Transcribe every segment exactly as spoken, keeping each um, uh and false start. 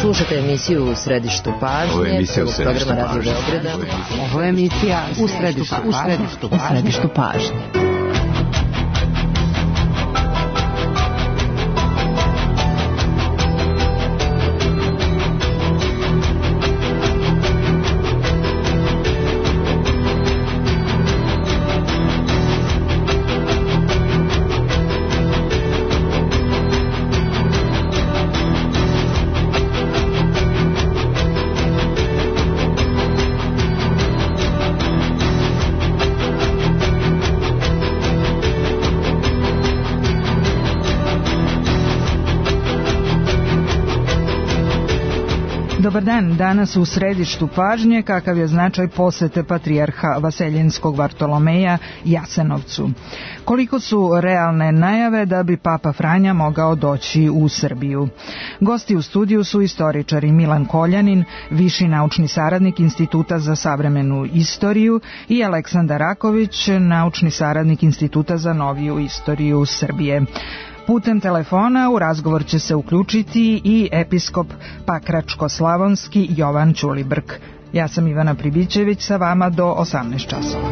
Slušajte emisiju U središtu pažnje, programa Radio Beograda. Ovo je emisija U središtu, u središtu, u središtu pažnje. Dobar dan, danas u središtu pažnje kakav je značaj posete patrijarha Vaseljenskog Vartolomeja Jasenovcu. Koliko su realne najave da bi Papa Franja mogao doći u Srbiju? Gosti u studiju su istoričari Milan Koljanin, viši naučni saradnik Instituta za savremenu istoriju, i Aleksandar Raković, naučni saradnik Instituta za noviju istoriju Srbije. Putem telefona u razgovor će se uključiti i episkop Pakračko-slavonski Jovan Ćulibrk. Ja sam Ivana Pribićević, sa vama do osamnaest časova.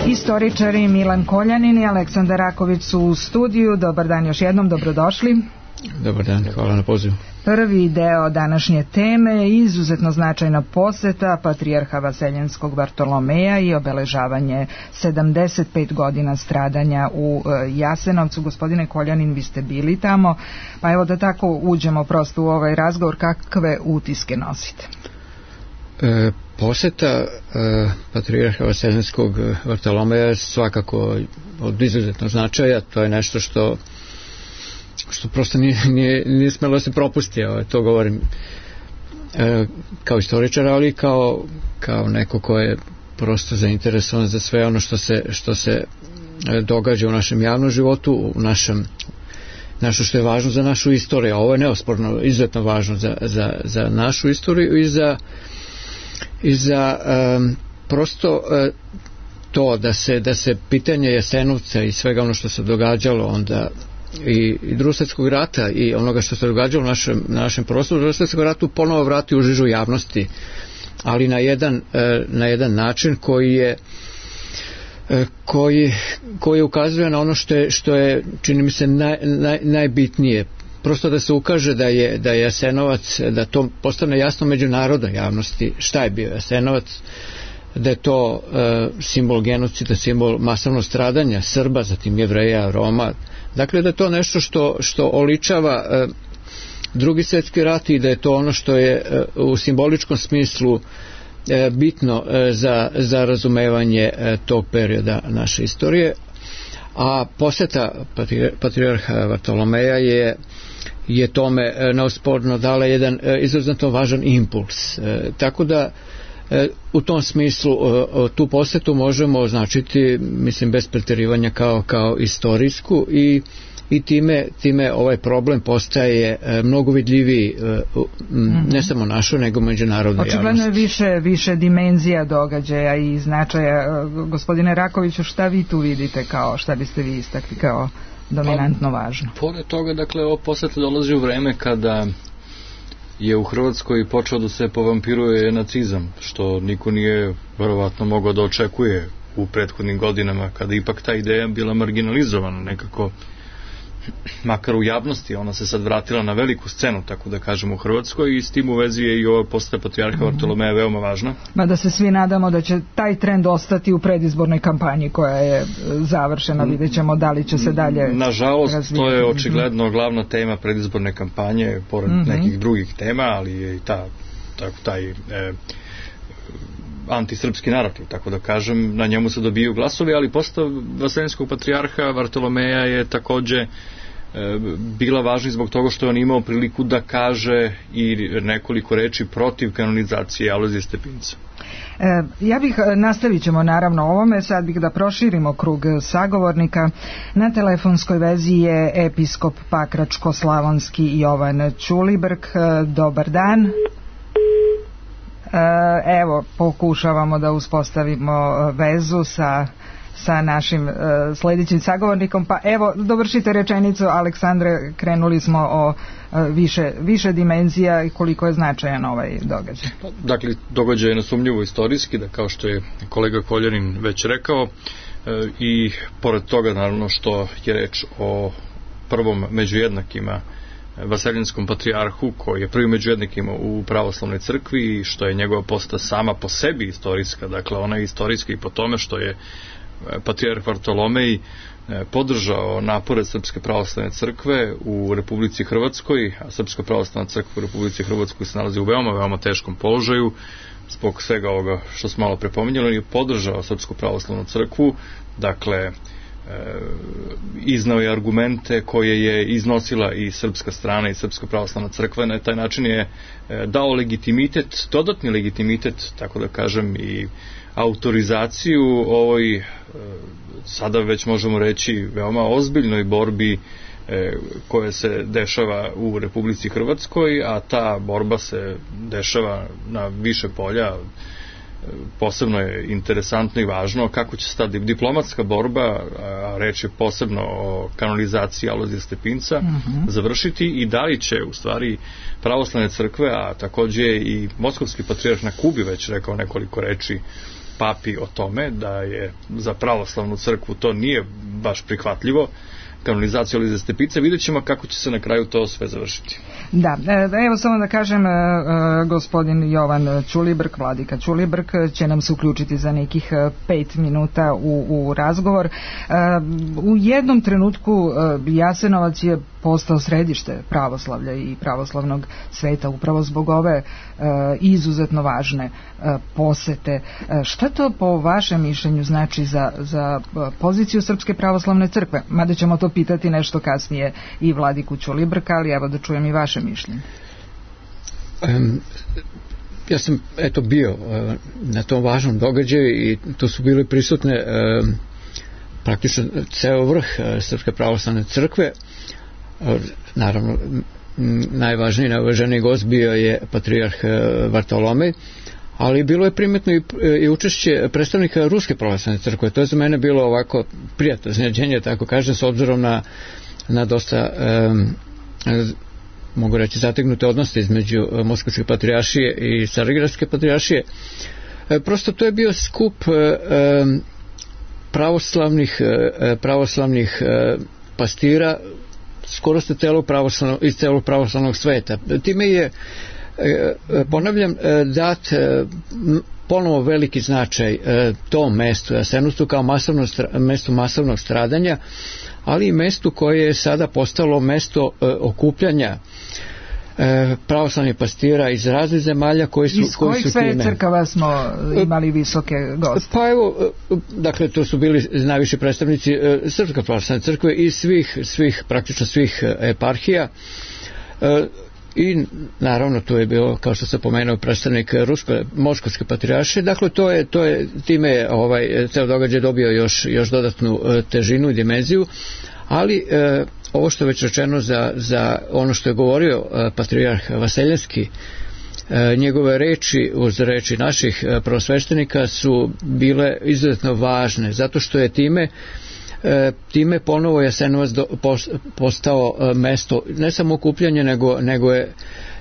Istoričari Milan Koljanin i Aleksandar Raković su u studiju. Dobar dan još jednom, dobrodošli. Dobar dan, hvala na pozivu. Prvi deo današnje teme je izuzetno značajna poseta patrijarha Vaseljenskog Vartolomeja i obeležavanje sedamdeset pet godina stradanja u Jasenovcu. Gospodine Koljanin, vi ste bili tamo, pa evo da tako uđemo prosto u ovaj razgovor, kakve utiske nosite? E, poseta e, patrijarha Vaseljenskog Vartolomeja je svakako od izuzetnog značaja. To je nešto što što prosto nije, nije, nije smelo da se propusti, to govorim e, kao istoričar, ali kao, kao neko ko je prosto zainteresovan za sve ono što se, što se događa u našem javnom životu, u našem nešto što je važno za našu istoriju. Ovo je neosporno izuzetno važno za, za, za našu istoriju i za i za um, prosto uh, to da se, da se pitanje Jasenovca i svega ono što se događalo onda i, i drugog svjetskog rata i onoga što se događalo u našem, na našem prostoru drugog svjetskog ratu ponovo vrati u žižu javnosti, ali na jedan, uh, na jedan način koji je uh, koji, koji ukazuje na ono što je, što je čini mi se naj, naj, najbitnije, prosto da se ukaže da je, da je Jasenovac, da to postane jasno međunarodnoj javnosti šta je bio Jasenovac, da je to e, simbol genocida, simbol masovnog stradanja Srba, zatim Jevreja, Roma, dakle da je to nešto što, što oličava e, drugi svjetski rat i da je to ono što je e, u simboličkom smislu e, bitno e, za, za razumevanje e, tog perioda naše istorije. A poseta patrijarha Vartolomeja je je tome neosporno dala jedan izuzetno važan impuls. E, tako da e, u tom smislu e, tu posetu možemo označiti, mislim, bez pretjerivanja kao, kao istorijsku i, i time, time ovaj problem postaje e, mnogo vidljiviji e, mm-hmm. ne samo našo, nego međunarodno javnosti. Očigledno je više, više dimenzija događaja i značaja. Gospodine Rakoviću, šta vi tu vidite, kao šta biste vi istakli kao dominantno važno? Pored toga, dakle, ovo poseta dolazi u vreme kada je u Hrvatskoj počeo da se povampiruje nacizam, što niko nije verovatno mogao da očekuje u prethodnim godinama, kada ipak ta ideja bila marginalizovana nekako, makar u javnosti. Ona se sad vratila na veliku scenu, tako da kažem, u Hrvatskoj, i s tim u vezi je i ova postava patrijarha Vartolomeja veoma važna. Ma da se svi nadamo da će taj trend ostati u predizbornoj kampanji koja je završena, vidjet ćemo da li će se dalje nažalost razvijati. To je očigledno glavna tema predizborne kampanje, pored mm-hmm. nekih drugih tema, ali je i ta, tako, taj e, antisrpski narativ, tako da kažem, na njemu se dobiju glasovi, ali postava vaseljenskog patrijarha Vartolomeja je takođe e, bila važna zbog toga što je on imao priliku da kaže i nekoliko reči protiv kanonizacije Alojzija Stepinca. E, ja bih, nastavit ćemo naravno ovome, sad bih da proširimo krug sagovornika. Na telefonskoj vezi je episkop Pakračko-slavonski Jovan Ćulibrk. Dobar dan. Evo, pokušavamo da uspostavimo vezu sa, sa našim uh, sljedećim sagovornikom, pa evo, dovršite rečenicu, Aleksandre, krenuli smo o uh, više, više dimenzija i koliko je značajan ovaj događaj. Dakle, događaj je nesumnjivo istorijski, da kao što je kolega Koljanin već rekao, uh, i pored toga, naravno, što je reč o prvom među jednakima vaseljenskom patrijarhu, koji je prvi među jednakima u pravoslavnoj crkvi, i što je njegova posta sama po sebi istorijska. Dakle, ona je istorijska i po tome što je patrijarh Vartolomej podržao napore Srpske pravoslavne crkve u Republici Hrvatskoj, a Srpska pravoslavna crkva u Republici Hrvatskoj se nalazi u veoma, veoma teškom položaju zbog svega ovoga što smo malo prepominjali. On je podržao Srpsku pravoslavnu crkvu, dakle, iznao je argumente koje je iznosila i srpska strana i Srpska pravoslavna crkva. Na taj način je dao legitimitet, dodatni legitimitet, tako da kažem, i autorizaciju ovoj, sada već možemo reći, veoma ozbiljnoj borbi koja se dešava u Republici Hrvatskoj, a ta borba se dešava na više polja. Posebno je interesantno i važno kako će se ta diplomatska borba, a reč je posebno o kanonizaciji Alojzija Stepinca, uh-huh. završiti, i da li će u stvari pravoslavne crkve, a takođe i moskovski patrijarh na Kubi već rekao nekoliko reči papi o tome da je za pravoslavnu crkvu to nije baš prihvatljivo, kanonizacija Alojzija Stepinca. Vidjet ćemo kako će se na kraju to sve završiti. Da, evo samo da kažem, gospodin Jovan Ćulibrk, vladika Ćulibrk, će nam se uključiti za nekih pet minuta u, u razgovor. U jednom trenutku Jasenovac je postao središte pravoslavlja i pravoslavnog sveta upravo zbog ove izuzetno važne posete. Šta to po vašem mišljenju znači za, za poziciju Srpske pravoslavne crkve? Mada ćemo to pitati nešto kasnije i vladiku Ćulibrka, ali evo da čujem i vaše mišljenje. Um, ja sam eto bio uh, na tom važnom događaju i tu su bili prisutne uh, praktično ceo vrh uh, Srpske pravoslavne crkve. Uh, naravno, m, najvažniji, najvažniji gost bio je patrijarh uh, Vartolomej, ali bilo je primetno i, i učešće predstavnika Ruske pravoslavne crkve. To je za mene bilo ovako prijatno iznenađenje, tako kažem, s obzirom na, na dosta um, mogu reći zategnute odnose između Moskovske patrijaršije i Carigradske patrijaršije. E, prosto to je bio skup e, pravoslavnih e, pravoslavnih e, pastira skoro ste celog pravoslavnog, iz celog pravoslavnog sveta. Time je, e, ponavljam, dat e, ponovo veliki značaj e, tom mestu Jasenovcu kao masovno, mestu masovnog stradanja, ali i mestu koje je sada postalo mesto e, okupljanja e, pravoslavnih pastira iz raznih zemalja koji su, iz kojih sve crkava smo imali visoke goste? Pa evo, dakle, to su bili najviši predstavnici e, Srpske pravoslavne crkve i svih, svih, praktično svih eparhija. E, I naravno tu je bio, kao što se pomenuo, predstavnik Ruske, Moskovske patrijaršije. Dakle, to je, to je time je ovaj ceo događaj dobio još, još dodatnu e, težinu i dimenziju, ali e, ovo što je već rečeno za, za ono što je govorio e, patrijarh Vaseljenski, e, njegove reči uz reči naših e, prvosveštenika su bile izuzetno važne, zato što je time time ponovo Jasenovac do, postao mesto ne samo okupljanja, nego, nego je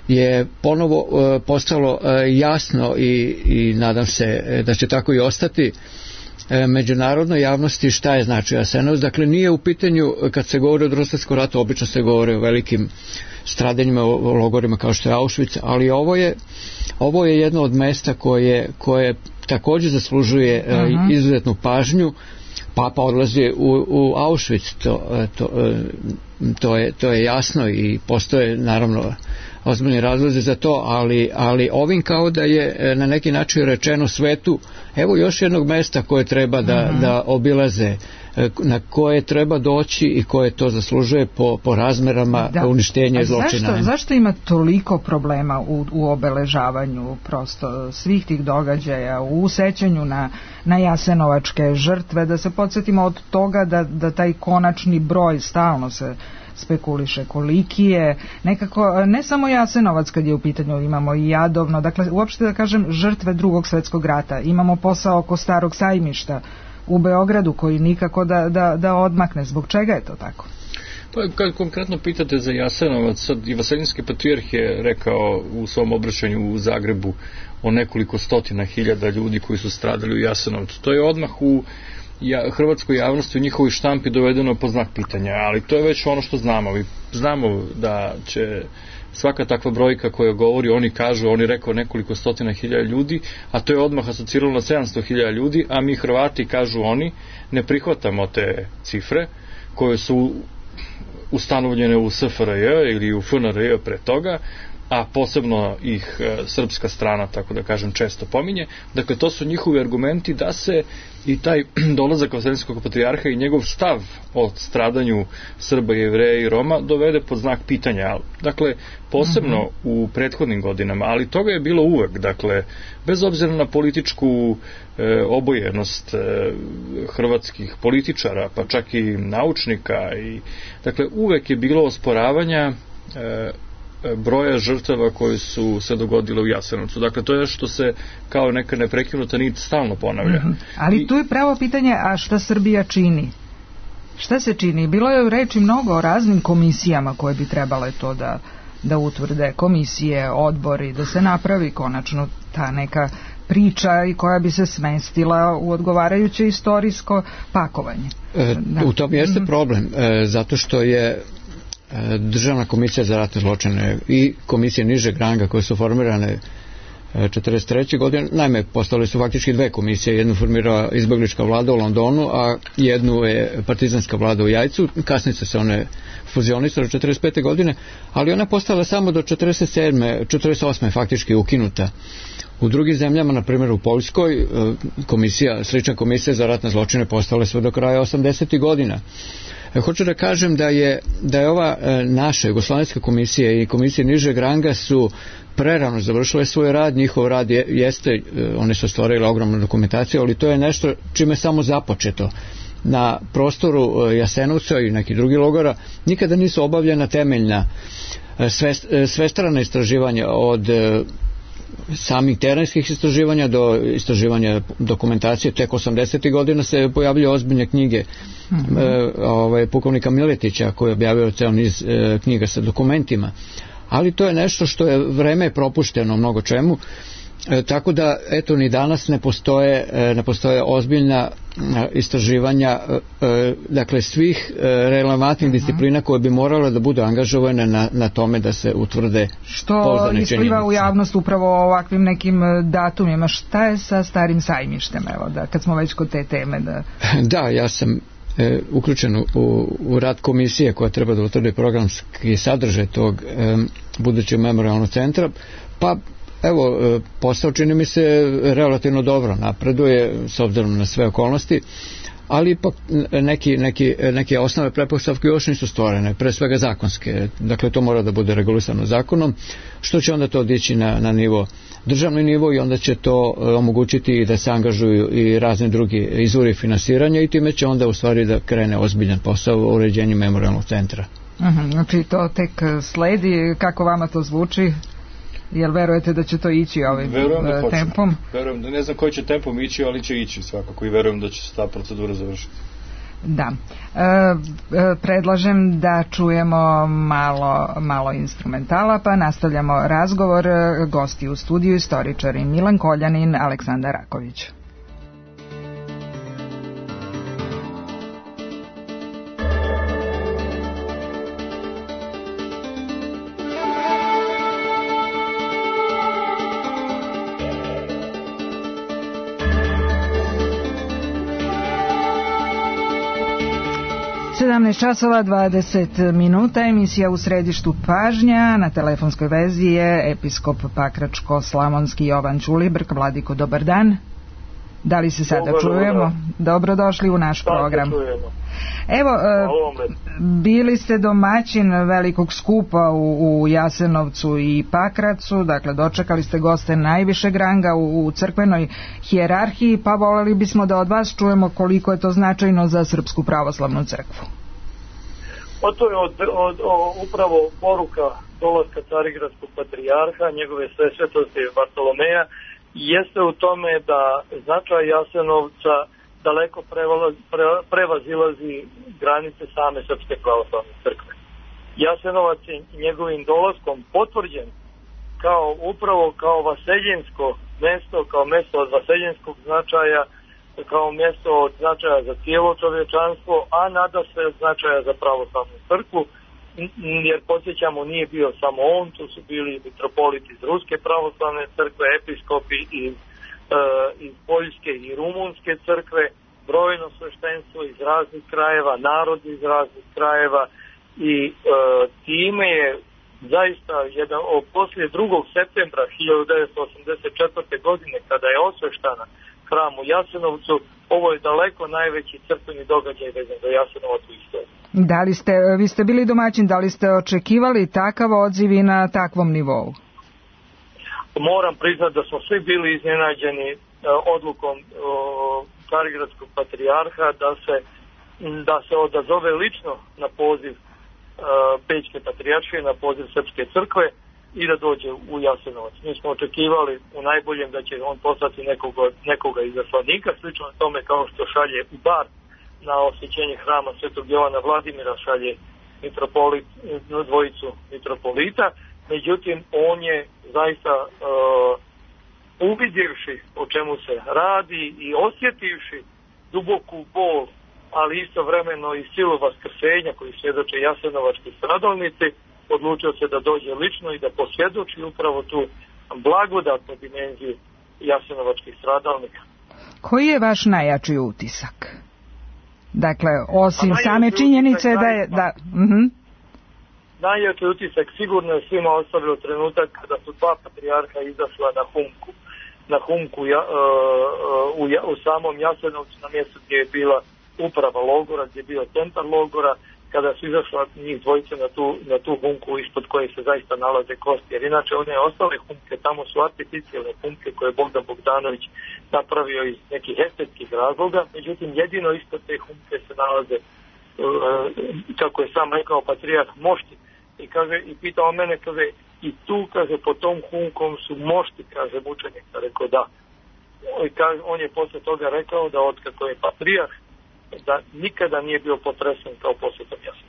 je ponovo postalo jasno i, i nadam se da će tako i ostati međunarodnoj javnosti šta je znači Jasenovac. Dakle, nije u pitanju, kad se govori o Drugom svjetskom ratu, obično se govori o velikim stradanjima, o logorima kao što je Auschwitz, ali ovo je, ovo je jedno od mesta koje, koje također zaslužuje uh-huh. izuzetnu pažnju. Papa odlazi u, u Auschwitz, to, to, to, je, to je jasno i postoje naravno ozbiljni razlozi za to, ali, ali ovim kao da je na neki način rečeno svetu, evo još jednog mesta koje treba da, mm-hmm. da obilaze, na koje treba doći i koje to zaslužuje po, po razmerama da. uništenja i zločina. Zašto, zašto ima toliko problema u, u obeležavanju prosto svih tih događaja, u sećanju na, na jasenovačke žrtve, da se podsjetimo od toga da, da taj konačni broj stalno se spekuliše koliki je, nekako ne samo Jasenovac kad je u pitanju, imamo i Jadovno, dakle uopšte da kažem žrtve Drugog svjetskog rata, imamo posao oko Starog sajmišta u Beogradu koji nikako da, da, da odmakne. Zbog čega je to tako? Pa kad konkretno pitate za Jasenovac, sad i Vaseljenski patrijarh je rekao u svom obraćanju u Zagrebu o nekoliko stotina hiljada ljudi koji su stradali u Jasenovcu. To je odmah u ja, hrvatskoj javnosti, u njihovoj štampi dovedeno po znak pitanja, ali to je već ono što znamo. Mi znamo da će svaka takva brojka koja govori, oni kažu, oni rekao nekoliko stotina hiljada ljudi, a to je odmah asociralo na sedamsto hiljada ljudi, a mi Hrvati, kažu oni, ne prihvatamo te cifre koje su ustanovljene u S F R J ili u F N R J pre toga, a posebno ih e, srpska strana, tako da kažem, često pominje. Dakle, to su njihovi argumenti da se i taj dolazak Vaseljenskog patrijarha i njegov stav o stradanju Srba, Jevreja i Roma dovede pod znak pitanja. Dakle, posebno mm-hmm. u prethodnim godinama, ali toga je bilo uvek. Dakle, bez obzira na političku e, obojenost e, hrvatskih političara, pa čak i naučnika, i, dakle, uvek je bilo osporavanja e, broja žrtava koji su se dogodile u Jasenovcu. Dakle, to je što se kao neka neprekinuta nit stalno ponavlja. Mm-hmm. Ali I, tu je pravo pitanje, a šta Srbija čini? Šta se čini? Bilo je reči mnogo o raznim komisijama koje bi trebale to da, da utvrde. Komisije, odbori, da se napravi konačno ta neka priča i koja bi se smestila u odgovarajuće istorijsko pakovanje. E, u tom jeste problem, e, zato što je Državna komisija za ratne zločine i komisije nižeg ranga koje su formirane četrdeset treće godine, naime, postale su faktički dve komisije, jednu formirala izbeglička vlada u Londonu, a jednu je partizanska vlada u Jajcu, kasnije se one fuzionisale četrdeset pete godine, ali ona postala samo do četrdeset sedme četrdeset osme faktički ukinuta. U drugim zemljama, na primjer u Poljskoj, komisija, slična komisija za ratne zločine postale sve do kraja osamdesetih godina. Hoću da kažem da je, da je ova naša Jugoslovenska komisija i komisije nižeg ranga su prerano završile svoj rad, njihov rad je, jeste, oni su stvorili ogromnu dokumentaciju, ali to je nešto čime samo započeto. Na prostoru Jasenovca i nekih drugih logora nikada nisu obavljena temeljna svestrana istraživanja od samih terenskih istraživanja do istraživanja dokumentacije. Tek osamdesetih godina se pojavljaju ozbiljne knjige mm-hmm. e, ovaj, pukovnika Miletića koji je objavio ceo niz e, knjiga sa dokumentima, ali to je nešto što je vreme propušteno mnogo čemu, e, tako da eto ni danas ne postoje, e, ne postoje ozbiljna e, istraživanja e, dakle svih e, relevantnih mm-hmm. disciplina koje bi morale da budu angažovane na, na tome da se utvrde što ispliva u javnost upravo ovakvim nekim datumima. Šta je sa Starim sajmištem, evo, da, kad smo već kod te teme? Da, da ja sam e, uključen u, u rad komisije koja treba da utvrdi programski sadržaj tog e, budućeg memorialnog centra, pa evo, posao čini mi se relativno dobro napreduje s obzirom na sve okolnosti, ali ipak neki, neki, neke osnove pretpostavke još nisu stvorene, pre svega zakonske. Dakle, to mora da bude regulisano zakonom, što će onda to dići na, na nivo, državni nivo, i onda će to omogućiti da se angažuju i razni drugi izvori finansiranja, i time će onda u stvari da krene ozbiljan posao u uređenju memorialnog centra. Uhum, znači to tek sledi. Kako vama to zvuči? Jel verujete da će to ići ovim da tempom? Verujem, ne znam koji će tempom ići, ali će ići svakako, i verujem da će se ta procedura završiti. Da. E, predlažem da čujemo malo, malo instrumentala, pa nastavljamo razgovor. Gosti u studiju, istoričari Milan Koljanin, Aleksandar Raković. sedamnaest časova dvadeset minuta, emisija U središtu pažnja. Na telefonskoj vezi je episkop Pakračko-slavonski Jovan Ćulibrk. Vladiko, dobar dan. Da li se sada dobar, čujemo? Dobar. Dobrodošli u naš Sada program. Čujemo. Evo, bili ste domaćin velikog skupa u, u Jasenovcu i Pakracu, dakle dočekali ste goste najvišeg ranga u, u crkvenoj hijerarhiji, pa voleli bismo da od vas čujemo koliko je to značajno za Srpsku pravoslavnu crkvu. O to je od, od, o, upravo poruka dolaska Carigradskog patrijarha, njegove svesvetosti Bartolomeja, jeste u tome da značaj Jasenovca daleko prevazi, pre, prevazilazi granice same Srpske pravoslavne crkve. Jasenovac je njegovim dolaskom potvrđen kao upravo kao vaseljensko mesto, kao mesto od vaseljenskog značaja, kao mjesto od značaja za cijelo čovječanstvo, a nada se značaja za pravoslavnu crkvu, jer podsjećamo nije bio samo on, tu su bili mitropoliti iz Ruske pravoslavne crkve, episkopi iz iz Poljske i Rumunske crkve, brojno sveštenstvo iz raznih krajeva, narodi iz raznih krajeva i e, time je zaista jedan, o, poslije drugog septembra hiljadu devetsto osamdeset četvrte. godine kada je osveštana hram u Jasenovcu, ovo je daleko najveći crkveni događaj vezan za Jasenovac u istoriji. Da li ste, vi ste bili domaćin, da li ste očekivali takav odziv i na takvom nivou? Moram priznati da smo svi bili iznenađeni e, odlukom e, Carigradskog patrijarha da se, da se odazove lično na poziv e, Pećke patrijaršije, na poziv Srpske crkve i da dođe u Jasenovac. Mi smo očekivali u najboljem da će on poslati nekoga, nekoga izaslanika, slično tome kao što šalje u Bar na osvećenje hrama Svetog Jovana Vladimira, šalje mitropolit, dvojicu mitropolita. Međutim, on je zaista uh, uvidjevši o čemu se radi i osjetivši duboku bol, ali istovremeno i silu vaskrsenja koji svjedoče jasenovački stradalnici, odlučio se da dođe lično i da posvjedoči upravo tu blagodatnu dimenziju jasenovačkih stradalnika. Koji je vaš najjači utisak? Dakle, osim same činjenice da je... Da, uh-huh. Najjači utisak sigurno je svima ostavio trenutak kada su dva patrijarha izašla na humku. Na humku ja, uh, u, ja, u samom Jasenovcu, na mjestu gdje je bila uprava logora, gdje je bio centar logora, kada su izašla njih dvojice na tu, na tu humku ispod koje se zaista nalaze kosti. Jer inače one ostale humke, tamo su artificijalne humke koje je Bogdan Bogdanović napravio iz nekih estetskih razloga. Međutim, jedino ispod te humke se nalaze, uh, kako je sam rekao patrijarh, mošti. I kaže, i pitao mene, kaže, i tu, kaže, po tom humkom su mošti, kaže, mučenika. Rekao, da. I kaže, on je posle toga rekao da od kako je patrijarh, da nikada nije bio potresen kao posjetom Jasenovca.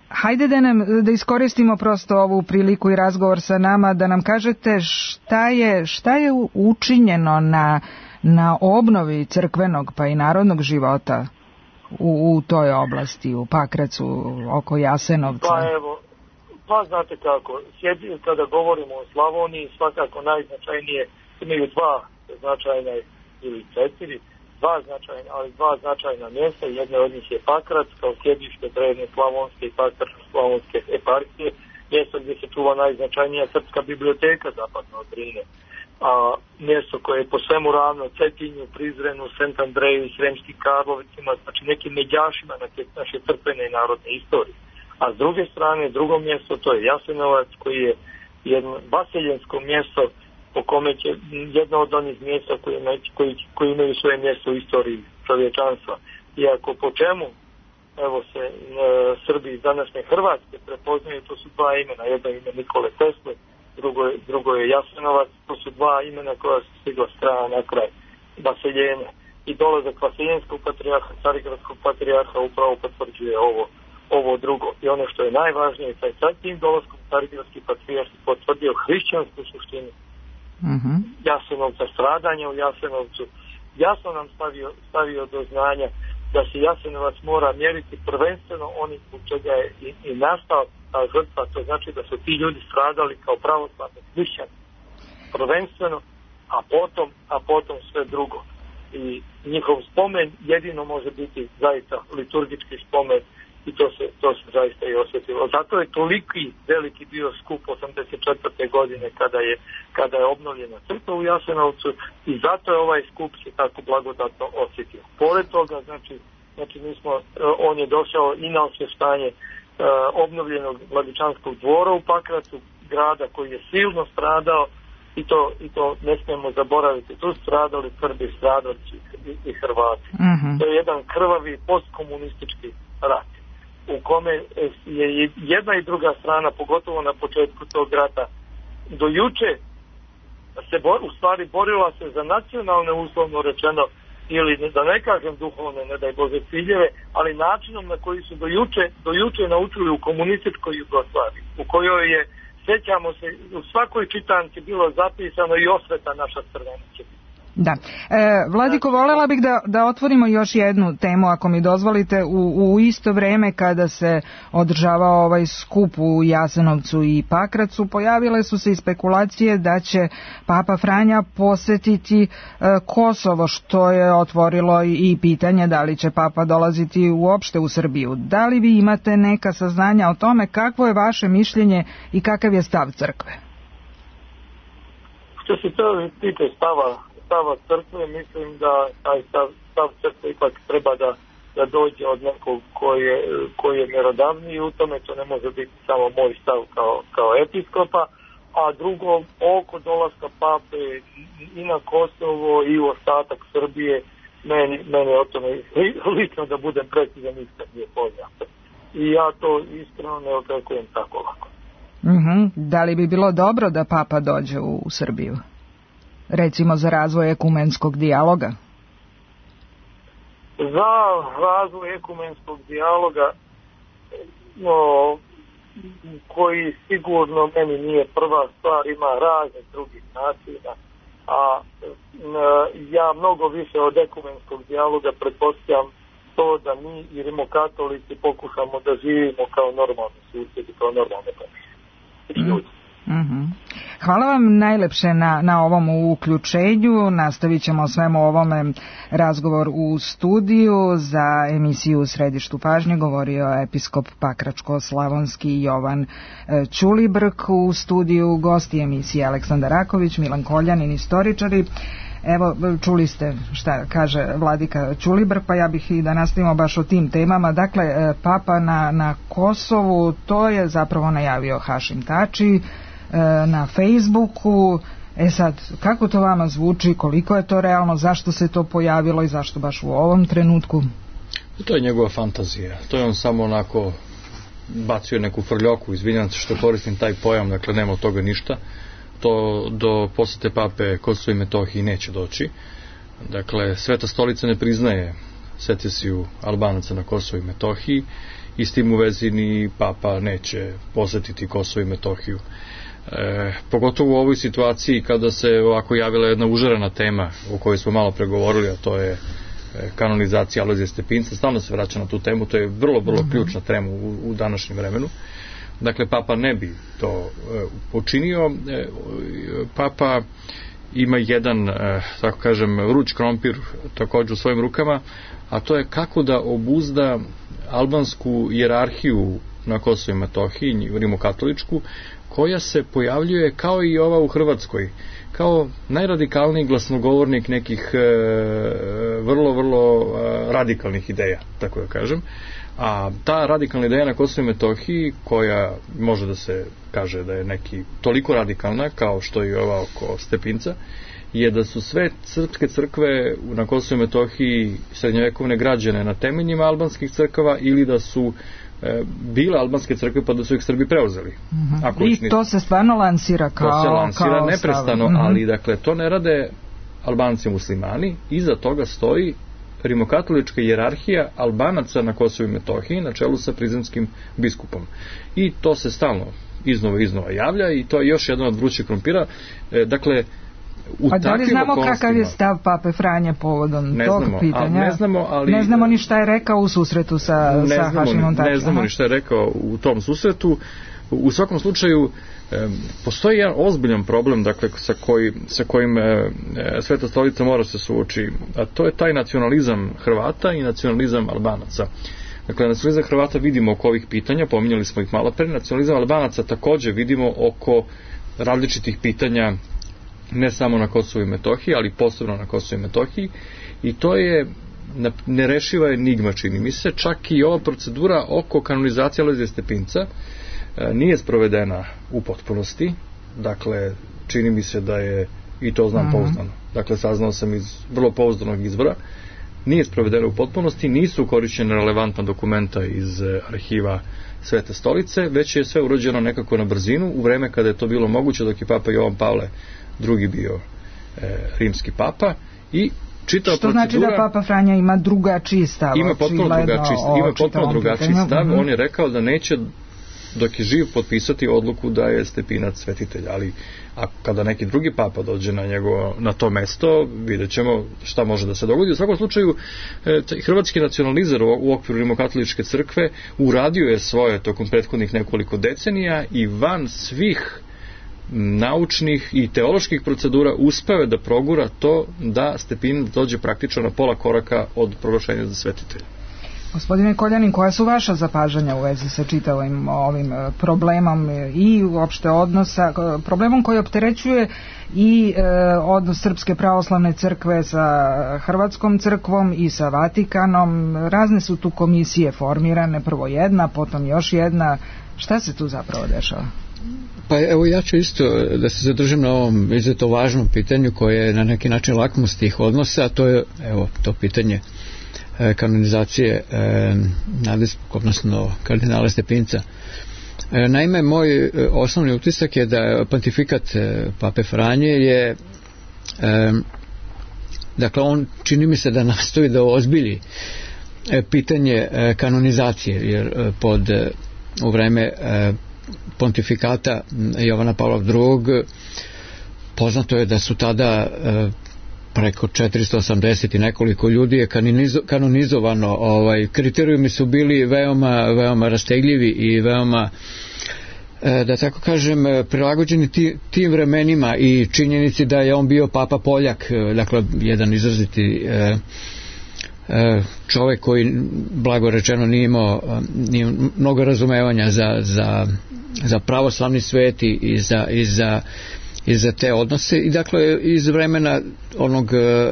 Hajde da nam, da iskoristimo prosto ovu priliku i razgovor sa nama, da nam kažete šta je, šta je učinjeno na, na obnovi crkvenog pa i narodnog života u, u toj oblasti, u Pakracu, oko Jasenovca. Pa evo, pa znate kako, sjedi, kada govorimo o Slavoniji, svakako najznačajnije, imaju dva značajna ili četiri, dva značajna, ali dva značajna mjesta, jedna od njih je Pakrac, kao sjedište drevne slavonske i pakračko-slavonske eparhije, mjesto gdje se čuva najznačajnija srpska biblioteka zapadno od Drine. A mjesto koje je po svemu ravno Cetinju, Prizrenu, Sant Andreju i Sremskim Karlovicima, znači nekim međašima na naše crkvene i narodne istorije. A s druge strane, drugo mjesto, to je Jasenovac, koji je jedno vaseljensko mjesto po kome će jedno od onih mjesta koji, koji, koji imaju svoje mjesto u istoriji čovječanstva. Iako po čemu evo se e, Srbi iz današnje Hrvatske prepoznaju, to su dva imena, jedno ime Nikole Tesle, drugo je, drugo je Jasenovac, to su dva imena koja su stigla strana na kraj vaseljenja. i dolazak Vaseljenskog patrijarha, Carigradskog patrijarha upravo potvrđuje ovo, ovo drugo. I ono što je najvažnije, taj sad tim dolaskom Carigradski patrijarh potvrdio hrišćansku suštinu mm-hmm. Jasenovca, stradanja u Jasenovcu, jasno nam stavio, stavio do znanja da se Jasenovac mora mjeriti prvenstveno onim u čega je i, i nastao ta žrtva, to znači da su ti ljudi stradali kao pravoslavni hrišćani prvenstveno, a potom, a potom sve drugo. I njihov spomen jedino može biti zaista liturgički spomen i to se, to se zaista i osjetilo. Zato je toliki veliki bio skup osamdeset četvrte godine kada je, kada je obnovljena crkva u Jasenovcu i zato je ovaj skup se tako blagodatno osjetio. Pored toga, znači, znači mi smo, on je došao i na osvještanje uh, obnovljenog Vladičanskog dvora u Pakracu, grada koji je silno stradao i to, i to ne smijemo zaboraviti. Tu stradali Srbi, stradali i, i Hrvati. Mm-hmm. To je jedan krvavi postkomunistički rat u kome je jedna i druga strana, pogotovo na početku tog rata, do juče se bor, u stvari borila se za nacionalne, uslovno rečeno, ili da ne kažem duhovne, ne daj Bože, ciljeve, ali načinom na koji su do juče, do juče naučili u komunističkoj Jugoslaviji, u kojoj je, sjećamo se, u svakoj čitanci bilo zapisano i osveta naša crvena će biti. Da. E, Vladiko, voljela bih da, da otvorimo još jednu temu, ako mi dozvolite, u, u isto vrijeme kada se održavao ovaj skup u Jasenovcu i Pakracu, pojavile su se i spekulacije da će Papa Franja posjetiti e, Kosovo, što je otvorilo i, i pitanje da li će Papa dolaziti uopšte u Srbiju. Da li vi imate neka saznanja o tome, kakvo je vaše mišljenje i kakav je stav crkve? Što se to tiče stava stava crkve, mislim da taj stav, stav crkve ipak treba da, da dođe od nekog koji je, koji je mjerodavniji u tome, to ne može biti samo moj stav kao, kao episkopa, a drugo, oko dolaska pape i na Kosovo i u ostatak Srbije, meni, meni o tome lično da budem precizan isto nije poznato. I ja to iskreno ne očekujem tako lako. Mm-hmm. Da li bi bilo dobro da papa dođe u, u Srbiju? Recimo za razvoj ekumenskog dijaloga? Za razvoj ekumenskog dijaloga, no, koji sigurno meni nije prva stvar, ima raznih drugih načina, a ja mnogo više od ekumenskog dijaloga pretpostavljam to da mi i rimokatolici pokušamo da živimo kao normalni susjedi, kao normalne ljudi. Mm-hmm. Hvala vam najlepše na, na ovom uključenju. Nastavit ćemo o svemu ovome razgovor u studiju. Za emisiju U središtu pažnje govorio episkop Pakračko-slavonski Jovan Ćulibrk. U studiju gosti emisije Aleksandar Raković, Milan Koljanin, istoričari. Evo, čuli ste šta kaže vladika Ćulibrk, pa ja bih i da nastavimo baš o tim temama. Dakle, papa na, na Kosovu, to je zapravo najavio Hašim Tači na Facebooku. E sad, kako to vama zvuči, koliko je to realno, zašto se to pojavilo i zašto baš u ovom trenutku? To je njegova fantazija. To je on samo onako bacio neku frljoku, izvinjam se što koristim taj pojam, dakle nema od toga ništa. To do posjete pape Kosovo i Metohiji neće doći. Dakle, Sveta stolica ne priznaje secesiju Albanaca na Kosovo i Metohiji i s tim u vezi ni papa neće posjetiti Kosovo i Metohiju. E, pogotovo u ovoj situaciji kada se ovako javila jedna užarana tema o kojoj smo malo pregovorili, a to je kanonizacija Alojzija Stepinca. Stalno se vraća na tu temu, to je vrlo, vrlo ključna tema u, u današnjem vremenu. Dakle, papa ne bi to e, počinio. E, papa ima jedan, e, tako kažem, vruć krompir također u svojim rukama, a to je kako da obuzda albansku hijerarhiju na Kosovu i Metohiji, rimokatoličku, koja se pojavljuje kao i ova u Hrvatskoj, kao najradikalniji glasnogovornik nekih e, vrlo, vrlo e, radikalnih ideja, tako da kažem. A ta radikalna ideja na Kosovu i Metohiji, koja može da se kaže da je neki toliko radikalna kao što je ova oko Stepinca, je da su sve srpske crkve na Kosovu i Metohiji srednjovekovne građene na temeljima albanskih crkava ili da su e, bile albanske crkve pa da su ih Srbi preuzeli. Mm-hmm. Ako I to se stvarno lansira kao... To se lansira kao neprestano, mm-hmm. ali dakle to ne rade Albanci muslimani, iza toga stoji rimokatolička hijerarhija Albanaca na Kosovu i Metohiji na čelu sa prizrenskim biskupom. I to se stalno iznova iznova javlja i to je još jedan od vrućih krompira. E, dakle, a da li znamo kakav je stav Pape Franje povodom ne tog znamo, pitanja? Ne znamo, ali... Ne znamo ni šta je rekao u susretu sa, ne sa znamo, Hašimom Tačijem. Ne znamo ni šta je rekao u tom susretu. U svakom slučaju, e, postoji jedan ozbiljan problem, dakle, sa, koji, sa kojim e, Sveta stolica mora se suoči, a to je taj nacionalizam Hrvata i nacionalizam Albanaca. Dakle, nacionalizam Hrvata vidimo oko ovih pitanja, pominjali smo ih malo pre, nacionalizam Albanaca takođe vidimo oko različitih pitanja, ne samo na Kosovu i Metohiji, ali posebno na Kosovu i Metohiji, i to je nerešiva enigma, čini mi se. Čak i ova procedura oko kanonizacije Alojzija Stepinca nije sprovedena u potpunosti. Dakle, čini mi se da je, i to znam mm-hmm. pouzdano, dakle, saznao sam iz vrlo pouzdanog izvora, nije sprovedena u potpunosti, nisu korišćene relevantna dokumenta iz arhiva Svete stolice, već je sve urađeno nekako na brzinu u vreme kada je to bilo moguće, dok je Papa Jovan Pavle drugi bio e, rimski papa, i čitava što procedura... Što znači da Papa Franja ima drugačiji stav? Ima potpuno drugačiji, ima potpuno drugačiji stav. Mm-hmm. On je rekao da neće, dok je živ, potpisati odluku da je Stepinac svetitelj, ali a kada neki drugi papa dođe na njegovo, na to mesto, vidjet ćemo šta može da se dogodi. U svakom slučaju, e, hrvatski nacionalizar u, u okviru rimokatoličke crkve uradio je svoje tokom prethodnih nekoliko decenija i van svih naučnih i teoloških procedura uspeo da progura to da Stepinac dođe praktično na pola koraka od proglašenja za svetitelja. Gospodine Koljanin, koja su vaša zapažanja u vezi sa čitavim ovim problemom i uopšte odnosa, problemom koji opterećuje i e, odnos Srpske pravoslavne crkve sa Hrvatskom crkvom i sa Vatikanom? Razne su tu komisije formirane, prvo jedna, potom još jedna. Šta se tu zapravo dešava? Pa evo, ja ću isto da se zadržim na ovom izuzetno važnom pitanju koje je na neki način lakmus tih odnosa, a to je, evo, to pitanje kanonizacije e, nadbiskupa, odnosno kardinala Stepinca. E, naime, moj e, osnovni utisak je da pontifikat e, Pape Franje je e, dakle, on čini mi se da nastoji da ozbilji e, pitanje e, kanonizacije, jer e, pod e, u vreme e, pontifikata Jovana Pavla drugog poznato je da su tada e, preko četiristo osamdeset i nekoliko ljudi je kanonizo, kanonizovano. Ovaj, kriterijumi su bili veoma, veoma rastegljivi i veoma, e, da tako kažem, prilagođeni ti, tim vremenima i činjenici da je on bio Papa Poljak, dakle jedan izraziti e, e, čovjek koji, blago rečeno, nije imao, nije mnogo razumevanja za, za, za pravoslavni svet i za, i za i za te odnose, i dakle iz vremena onog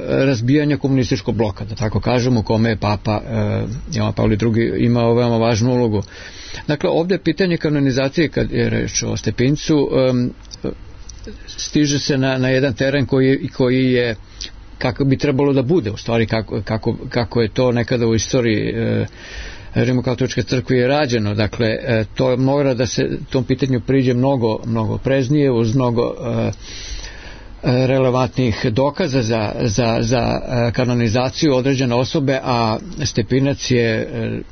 razbijanja komunističkog bloka, da tako kažemo, u kome je Papa eh, Jovan Pavle drugi imao veoma važnu ulogu. Dakle, ovdje pitanje kanonizacije, kad je reč o Stepincu, eh, stiže se na, na jedan teren koji, koji je kako bi trebalo da bude, u stvari kako, kako, kako je to nekada u istoriji eh, Rimokatoličke crkve je rađeno. Dakle, to mora da se tom pitanju priđe mnogo, mnogo preznije, uz mnogo uh, relevantnih dokaza za, za, za kanonizaciju određene osobe, a Stepinac je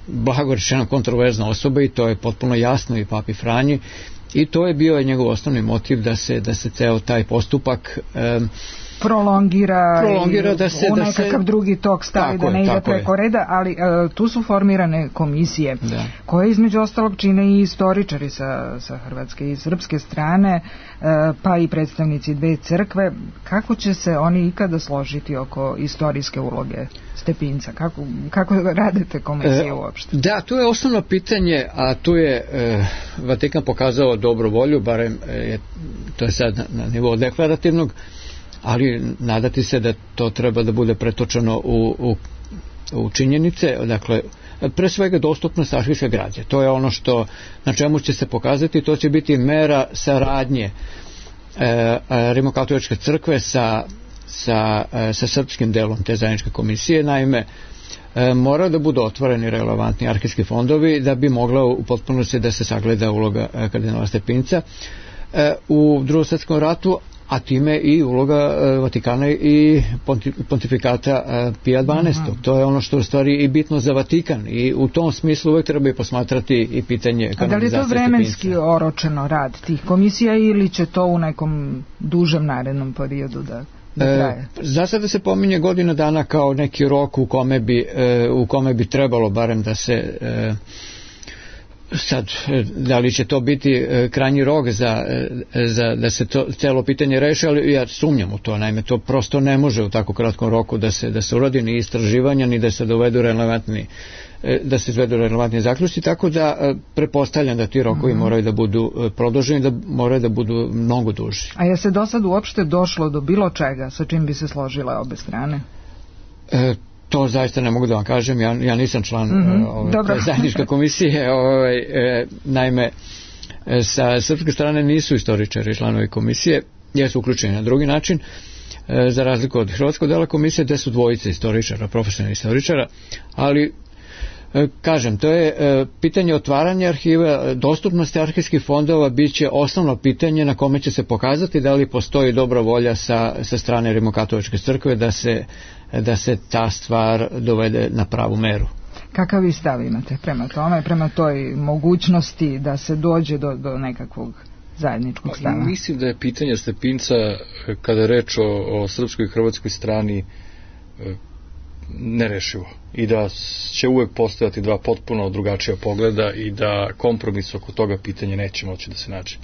blago rečeno kontroverzna osoba i to je potpuno jasno i Papi Franji, i to je bio njegov osnovni motiv da se, da se ceo taj postupak um, prolongira, prolongira da se, u nekakav se, drugi tok stavi, da ne ide preko je. reda, ali uh, tu su formirane komisije da. koje između ostalog čine i istoričari sa, sa hrvatske i srpske strane, uh, pa i predstavnici dve crkve. Kako će se oni ikada složiti oko istorijske uloge Stepinca? Kako, kako radite komisije uopšte? Da, tu je osnovno pitanje, a tu je e, Vatikan pokazao dobru volju, barem e, to je sad na, na nivou deklarativnog, ali nadati se da to treba da bude pretočeno u, u, u činjenice. Dakle, pre svega dostupnost arhivske građe. To je ono što, na čemu će se pokazati, to će biti mera saradnje e, Rimokatoličke crkve sa, sa, e, sa srpskim delom te zajedničke komisije. Naime, e, mora da budu otvoreni relevantni arhivski fondovi da bi mogla u potpunosti da se sagleda uloga e, kardinala Stepinca. E, u Drugom svjetskom ratu, a time i uloga Vatikana i pontifikata Pija dvanaestog. Mm-hmm. To je ono što je u stvari i bitno za Vatikan i u tom smislu uvek treba i posmatrati i pitanje kanonizacije Stepinca. A da li je to vremenski oročeno rad tih komisija ili će to u nekom dužem narednom periodu da... E, za sada se pominje godina dana kao neki rok u kome bi, e, u kome bi trebalo barem da se e, sad, da li će to biti e, krajnji rok za, e, za da se to celo pitanje reši, ali ja sumnjam u to, naime to prosto ne može u tako kratkom roku da se, da se uradi ni istraživanja ni da se dovedu relevantni da se izvedu relevantni zaključci, tako da pretpostavljam da ti rokovi mm-hmm. moraju da budu produženi, da moraju da budu mnogo duži. A je se do sad uopšte došlo do bilo čega sa čim bi se složile obe strane? E, to zaista ne mogu da vam kažem, ja, ja nisam član mm-hmm. ove, zajedničke komisije, ove, e, naime sa srpske strane nisu istoričari članovi komisije, jesu uključeni na drugi način, e, za razliku od hrvatskog dela komisije gde su dvojice istoričara, profesionalnih istoričara, ali kažem, to je e, pitanje otvaranja arhiva, dostupnosti arhivskih fondova biće osnovno pitanje na kome će se pokazati da li postoji dobra volja sa, sa strane Rimokatoličke crkve da se, da se ta stvar dovede na pravu meru. Kakav vi stav imate prema tome, prema toj mogućnosti da se dođe do, do nekakvog zajedničkog stava? Mislim da je pitanje Stepinca, kada je reč o, o srpskoj i hrvatskoj strani, nerešivo i da će uvek postojati dva potpuno drugačija pogleda i da kompromis oko toga pitanja neće moći da se nađe.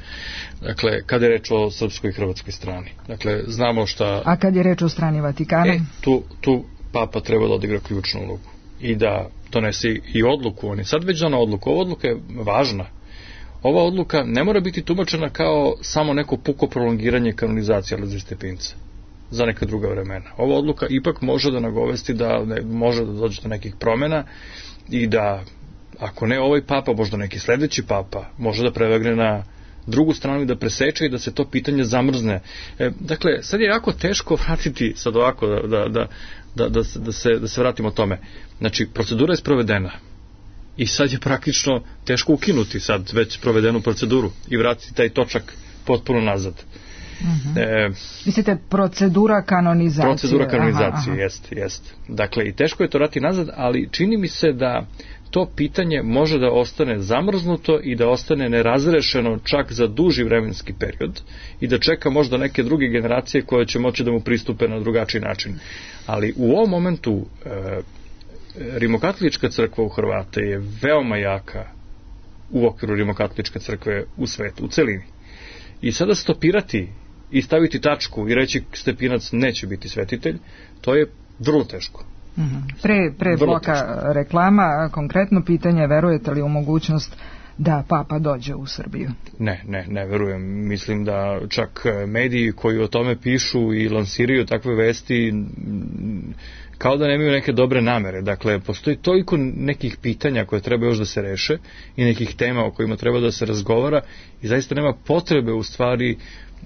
Dakle, kada je reč o srpskoj i hrvatskoj strani. Dakle, znamo šta... A kad je reč o strani Vatikana? E, tu, tu Papa treba da odigra ključnu ulogu i da donese i odluku. On je sad već dana odluku. Ova odluka je važna. Ova odluka ne mora biti tumačena kao samo neko puko prolongiranje kanonizacije Alojzija Stepinca za neka druga vremena. Ova odluka ipak može da nagovesti da ne, može da dođe do nekih promjena i da, ako ne ovaj papa, možda neki sledeći papa, može da prevagne na drugu stranu i da preseče i da se to pitanje zamrzne. E, dakle, sad je jako teško vratiti, sad ovako, da, da, da, da, da, da, se, da se vratimo tome. Znači, procedura je sprovedena i sad je praktično teško ukinuti sad već provedenu proceduru i vratiti taj točak potpuno nazad. Mm-hmm. E, Mislite, procedura kanonizacije? Procedura kanonizacije, jeste, jeste. Dakle, i teško je to vratiti nazad, ali čini mi se da to pitanje može da ostane zamrznuto i da ostane nerazrešeno čak za duži vremenski period i da čeka možda neke druge generacije koje će moći da mu pristupe na drugačiji način. Ali u ovom momentu e, Rimokatolička crkva u Hrvate je veoma jaka u okviru Rimokatoličke crkve u svetu, u celini. I sada stopirati i staviti tačku i reći Stepinac neće biti svetitelj, to je vrlo teško. Mm-hmm. Pre, pre bloka teško. Reklama, konkretno pitanje, verujete li u mogućnost da papa dođe u Srbiju? Ne, ne, ne verujem. Mislim da čak mediji koji o tome pišu i lansiraju takve vesti kao da nemaju neke dobre namere. Dakle, postoji toliko nekih pitanja koje treba još da se reše i nekih tema o kojima treba da se razgovara i zaista nema potrebe u stvari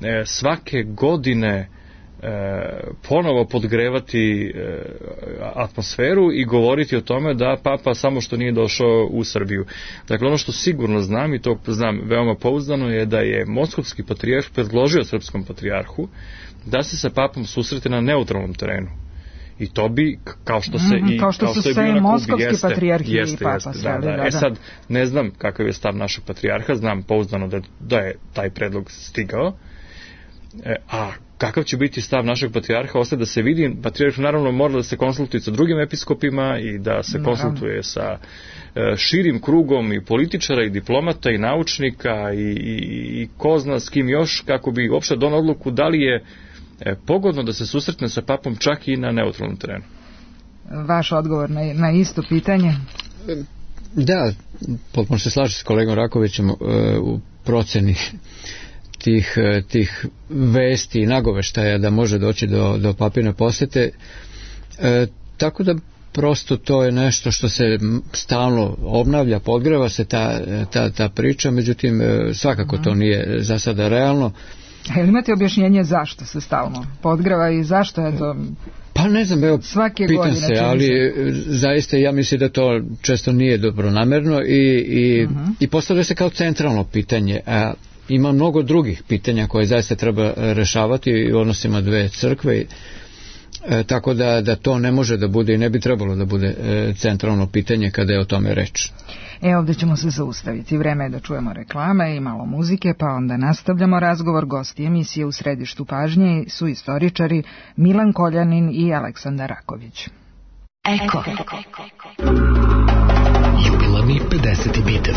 e, svake godine e, ponovo podgrevati e, atmosferu i govoriti o tome da papa samo što nije došao u Srbiju. Dakle, ono što sigurno znam i to znam veoma pouzdano je da je moskovski patrijarh predložio srpskom patrijarhu da se sa papom susrete na neutralnom terenu. I to bi, kao što se mm-hmm, i kao što kao su što je sve bio moskovski patrijarhi i papa jeste, sve, da, da. da, da. E sad, ne znam kakav je stav našeg patrijarha, znam pouzdano da, da je taj predlog stigao, e, a kakav će biti stav našeg patrijarha, ostaje da se vidi. Patrijarh naravno mora da se konsultuje sa drugim episkopima i da se naravno konsultuje sa e, širim krugom i političara i diplomata i naučnika i, i, i ko zna s kim još, kako bi uopšte donao odluku da li je E, pogodno da se susretne sa papom čak i na neutralnom terenu. Vaš odgovor na, na isto pitanje? Da, potpuno se slažem s kolegom Rakovićem uh, u proceni tih, tih vesti i nagoveštaja da može doći do, do papine posete. Uh, tako da prosto to je nešto što se stalno obnavlja, podgreva se ta, ta, ta priča, međutim svakako to nije za sada realno. A ili imate objašnjenje zašto se stalno podgreva i zašto je to... Pa ne znam, evo, svake pitam se, ali se. Zaista ja mislim da to često nije dobronamerno i, i, uh-huh. i postavlja se kao centralno pitanje. A ima mnogo drugih pitanja koje zaista treba rešavati u odnosima dve crkve, e, tako da, da to ne može da bude i ne bi trebalo da bude e, centralno pitanje kada je o tome reč. E, ovdje ćemo se zaustaviti. Vreme je da čujemo reklame i malo muzike, pa onda nastavljamo razgovor. Gosti emisije U središtu pažnje su istoričari Milan Koljanin i Aleksandar Raković. Eko. Jubilarni pedeseti bitev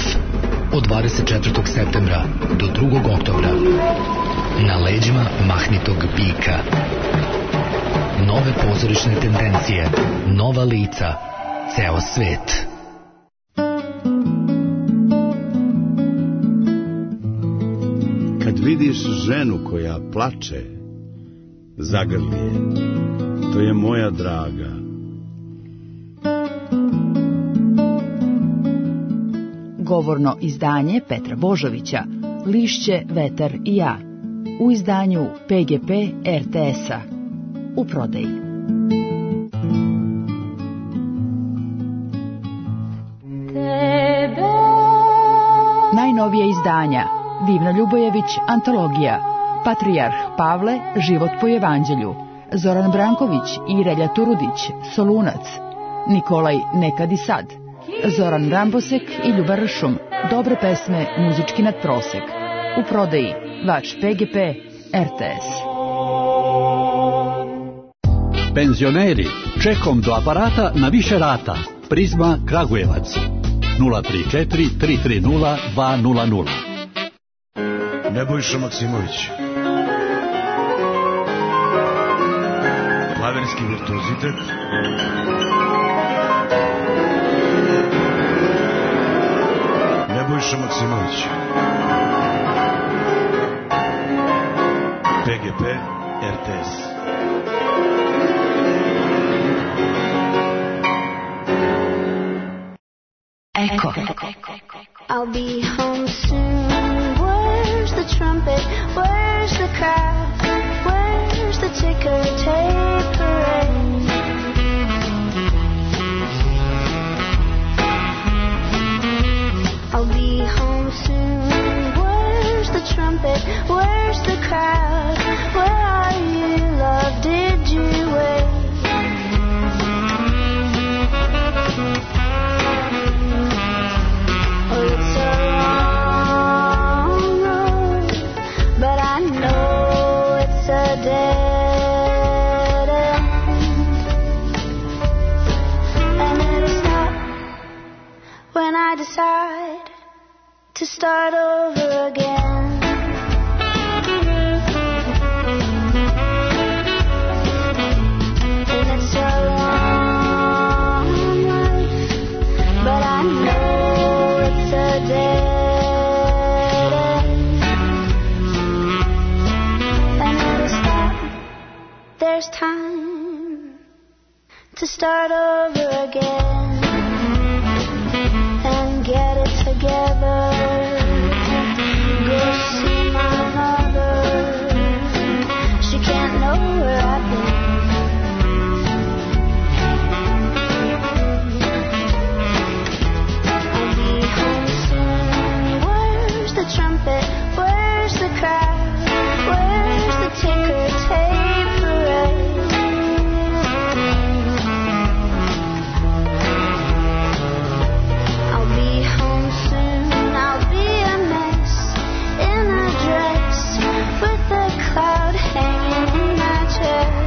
od dvadeset četvrtog septembra do drugog oktobra na leđima mahnitog bika. Nove pozorišne tendencije, nova lica, ceo svet. Kad vidiš ženu koja plače, zagrli je, to je moja draga. Govorno izdanje Petra Božovića, Lišće, vetar i ja, u izdanju P G P R T S-a, u prodaji. Najnovija izdanja: Divna Ljubojević, antologija, Patrijarh Pavle, život po evanđelju, Zoran Branković i Relja Turudić, Solunac, Nikolaj Nekad i sad, Zoran Rambosek i Ljuba Ršum, dobre pesme, muzički nadprosek. U prodaji Vač P G P R T S. Penzioneri, čekom do aparata na više rata. Prizma Kragujevac nula tri četiri tri tri nula dva nula nula. Nebojša Maksimović. Klavirski virtuozitet. Nebojša Maksimović. P G P R T S. Eko. I'll be home soon. Where's the trumpet? Where's the crowd? Where's the ticker tape parade? I'll be home soon. Where's the trumpet? Where's the crowd? Where are you, love? Did you wait? Oh, it's a long road, but I know it's a dead end. And it'll stop when I decide to start over again. And it's a long life, but I know it's a dead end. And it'll stop. There's time to start over again and get it together. Go see my mother. She can't know where I've been. I'll be home soon. Where's the trumpet? Where's the crowd? Where's the ticker tape parade? I'll be home soon. I'll be a mess in a dress with a cloud hanging in my chest,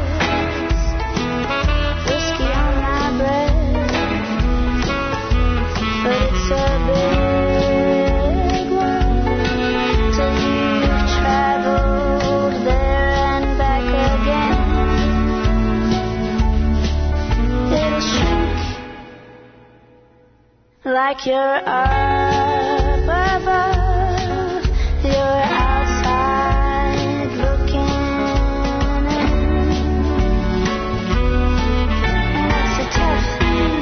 whiskey on my breath. But it's a big world till you've traveled there and back again. It'll shrink like you're up above, you're outside looking in. And it's a tough thing,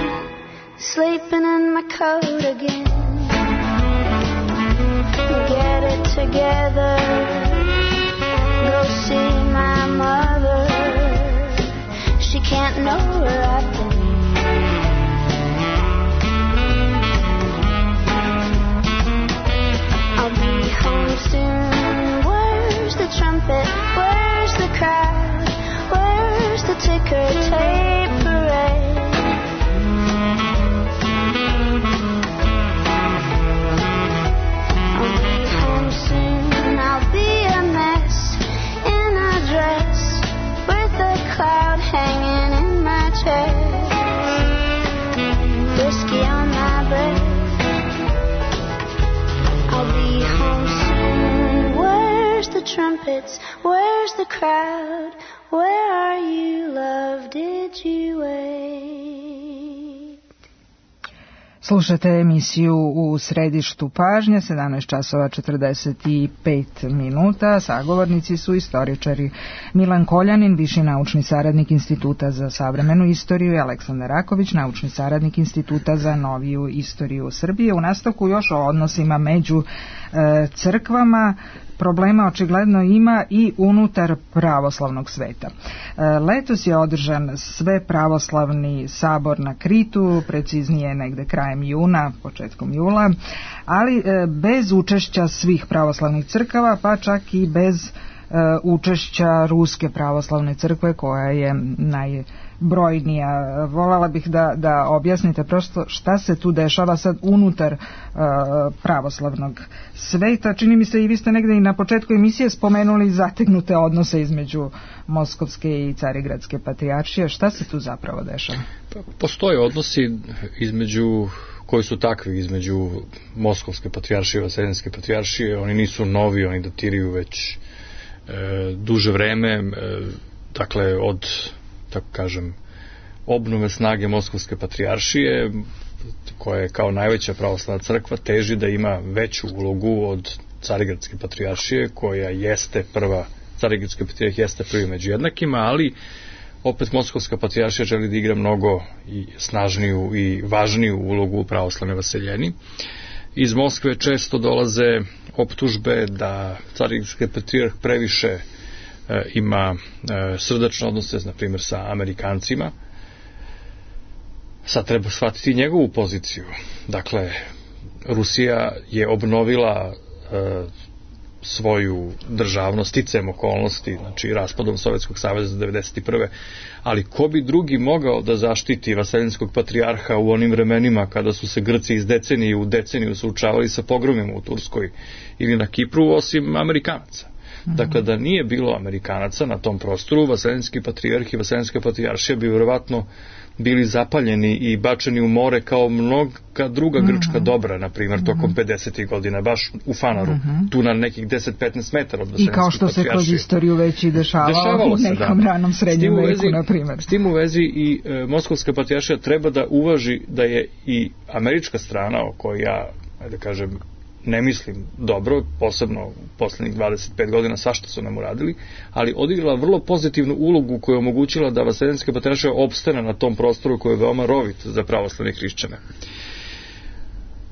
sleeping in my coat again. Get it together, go see my mother. She can't know where I've been. crowd. Where are you, love? Did you wait? Slušate emisiju U središtu pažnje, sedamnaest časova četrdeset pet minuta. Sagovornici su istoričari Milan Koljanin, viši naučni saradnik Instituta za savremenu istoriju, i Aleksandar Raković, naučni saradnik Instituta za noviju istoriju Srbije. U nastavku još o odnosima među e, crkvama. Problema očigledno ima i unutar pravoslavnog sveta. Letos je održan sve pravoslavni sabor na Kritu, preciznije negde krajem juna, početkom jula, ali bez učešća svih pravoslavnih crkava, pa čak i bez učešća Ruske pravoslavne crkve, koja je najbrojnija. Voljela bih da, da objasnite prosto šta se tu dešava sad unutar uh, pravoslavnog sveta. Čini mi se i vi ste negde i na početku emisije spomenuli zategnute odnose između Moskovske i Carigradske patrijaršije. Šta se tu zapravo dešava? Postoje odnosi između koji su takvi između Moskovske patrijaršije i Vaseljenske patrijaršije. Oni nisu novi, oni datiraju već e, duže vreme, e, dakle od, tako kažem, obnove snage Moskovske patrijaršije, koja je kao najveća pravoslavna crkva teži da ima veću ulogu od Carigradske patrijaršije, koja jeste prva, Carigradska patrijaršija jeste prvi među jednakima, ali opet Moskovska patrijaršija želi da igra mnogo i snažniju i važniju ulogu u pravoslavnoj vaseljeni. Iz Moskve često dolaze optužbe da Carigradski patrijarh previše e, ima e, srdačne odnose, na primjer, sa Amerikancima. Sad treba shvatiti njegovu poziciju. Dakle, Rusija je obnovila e, svoju državnost sticajem okolnosti, znači raspadom Sovjetskog saveza devedeset prve. Ali ko bi drugi mogao da zaštiti vaseljenskog patrijarha u onim vremenima kada su se Grci iz decenije u deceniju suočavali sa pogromima u Turskoj ili na Kipru, osim Amerikanaca? Mm-hmm. Dakle, da nije bilo Amerikanaca na tom prostoru, vaseljenski patrijarh i vaseljenska patrijaršija bi vjerovatno bili zapaljeni i bačeni u more kao mnoga druga grčka mm-hmm. dobra, na primjer, tokom pedesetih godina, baš u Fanaru, mm-hmm. tu na nekih deset do petnaest metara od vaseljenske patrijaršije. I kao što se kroz istoriju već i dešavalo, dešavalo u nekom se, da. ranom srednjem veku, na primjer. S tim u vezi i e, Moskovska patrijaršija treba da uvaži da je i američka strana, o kojoj ja, da kažem, ne mislim dobro, posebno u poslednjih dvadeset pet godina, svašta su nam uradili, ali odigrala vrlo pozitivnu ulogu koja je omogućila da vaseljenska patrijaršija opstane na tom prostoru koji je veoma rovit za pravoslavne hrišćane.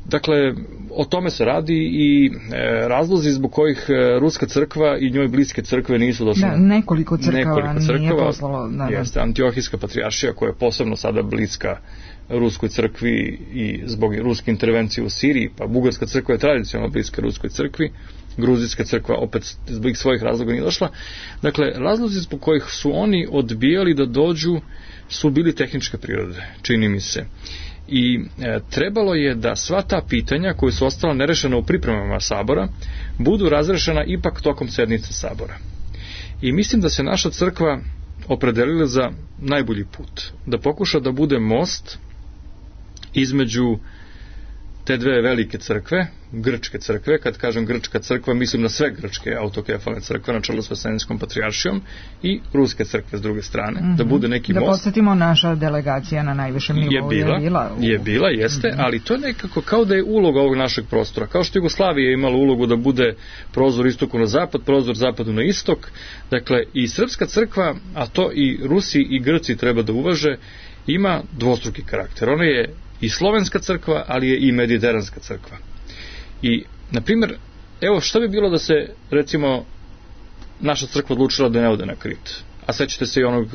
Dakle, o tome se radi i e, razlozi zbog kojih e, Ruska crkva i njoj bliske crkve nisu došle. Da, nekoliko crkava, nekoliko crkava nije poslalo. Da, da. Jeste Antiohijska patrijaršija, koja je posebno sada bliska Ruskoj crkvi i zbog ruske intervencije u Siriji, pa Bugarska crkva je tradicionalno bliska Ruskoj crkvi, Gruzijska crkva opet zbog svojih razloga nije došla. Dakle, razlozi zbog kojih su oni odbijali da dođu su bili tehničke prirode, čini mi se. I e, trebalo je da sva ta pitanja koja su ostala nerešena u pripremama sabora budu razrešena ipak tokom sednice sabora. I mislim da se naša crkva opredelila za najbolji put, da pokuša da bude most između te dve velike crkve, grčke crkve. Kad kažem grčka crkva, mislim na sve grčke autokefalne crkve na čelu s vaseljenskom patrijaršijom i ruske crkve s druge strane, mm-hmm. da bude neki da most. Da podsjetimo, naša delegacija na najvišem nivou je bila, je bila, u... je bila jeste, mm-hmm. ali to je nekako kao da je uloga ovog našeg prostora. Kao što Jugoslavija je imala ulogu da bude prozor istoku na zapad, prozor zapadu na istok. Dakle, i srpska crkva, a to i Rusi i Grci treba da uvaže, ima dvostruki karakter. Ona je i slovenska crkva, ali je i mediteranska crkva. I, na primjer, evo šta bi bilo da se, recimo, naša crkva odlučila da ne ode na Krit. A sećate se i onog,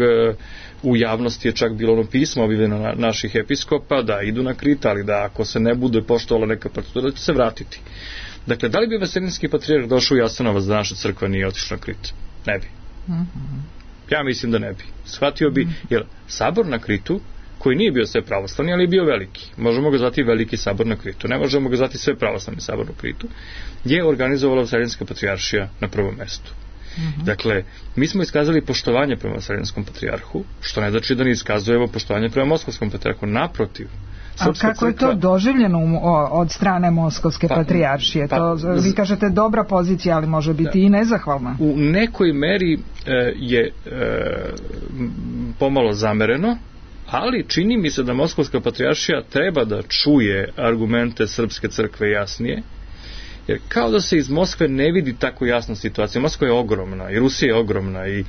u javnosti je čak bilo ono pismo objavljeno na naših episkopa da idu na Krit, ali da ako se ne bude poštovala neka procedura, da će se vratiti. Dakle, da li bi vaseljenski patrijarh došao u Jasenovac da naša crkva nije otišla na Krit? Ne bi. Ja mislim da ne bi. Shvatio bi, jer sabor na Kritu, koji nije bio sve pravoslavni, ali je bio veliki. Možemo ga zvati veliki sabor na Kritu. Ne možemo ga zvati sve pravoslavni sabor na Kritu. Je organizovala vaseljenska patrijaršija na prvom mestu. Mm-hmm. Dakle, mi smo iskazali poštovanje prema vaseljenskom patrijarhu, što ne znači da ne iskazujemo poštovanje prema moskovskom patrijarhu. Naprotiv, Srpska A kako crkva... je to doživljeno od strane Moskovske pa, patrijaršije? Pa, to, vi kažete dobra pozicija, ali može biti da, i nezahvalna. U nekoj meri e, je e, pomalo zamereno, ali čini mi se da Moskovska patrijaršija treba da čuje argumente Srpske crkve jasnije, jer kao da se iz Moskve ne vidi tako jasna situacija. Moskva je ogromna i Rusija je ogromna i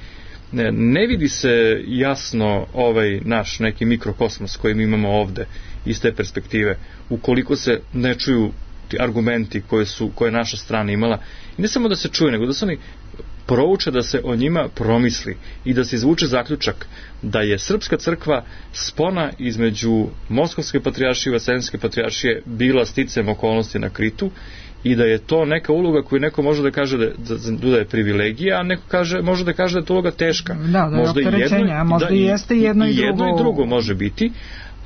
ne, ne vidi se jasno ovaj naš neki mikrokosmos koji mi imamo ovde iz te perspektive, ukoliko se ne čuju ti argumenti koje su koje je naša strana imala. I ne samo da se čuje, nego da se oni prouče, da se o njima promisli i da se izvuče zaključak da je Srpska crkva spona između Moskovske patrijaršije i Vaseljenske patrijaršije bila sticajem okolnosti na Kritu i da je to neka uloga koju neko može da kaže da, da, da je privilegija, a neko kaže, može da kaže da je to uloga teška. Da, da je možda opterećenje, a možda da, i jeste jedno i, i drugo. Jedno i drugo može biti,